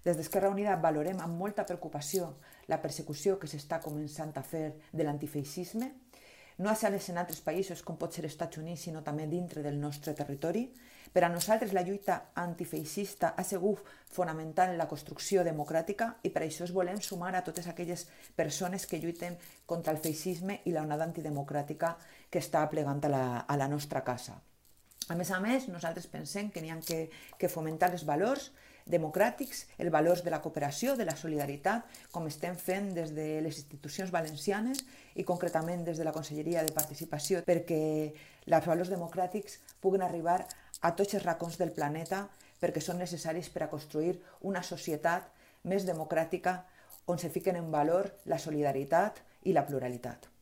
Des d'Esquerra Unida valorem amb molta preocupació la persecució que s'està començant a fer de l'antifeixisme, no només en altres països com pot ser els Estats Units, sinó també dintre del nostre territori. Per a nosaltres la lluita antifeixista ha sigut fonamental en la construcció democràtica i per això es volem sumar a totes aquelles persones que lluiten contra el feixisme i l'onada antidemocràtica que està plegant a la nostra casa. A més, nosaltres pensem que n'hi ha que fomentar els valors democràtics, els valors de la cooperació, de la solidaritat, com estem fent des de les institucions valencianes i concretament des de la Conselleria de Participació, perquè els valors democràtics puguin arribar a tots els racons del planeta, perquè són necessaris per a construir una societat més democràtica on se fiquen en valor la solidaritat i la pluralitat.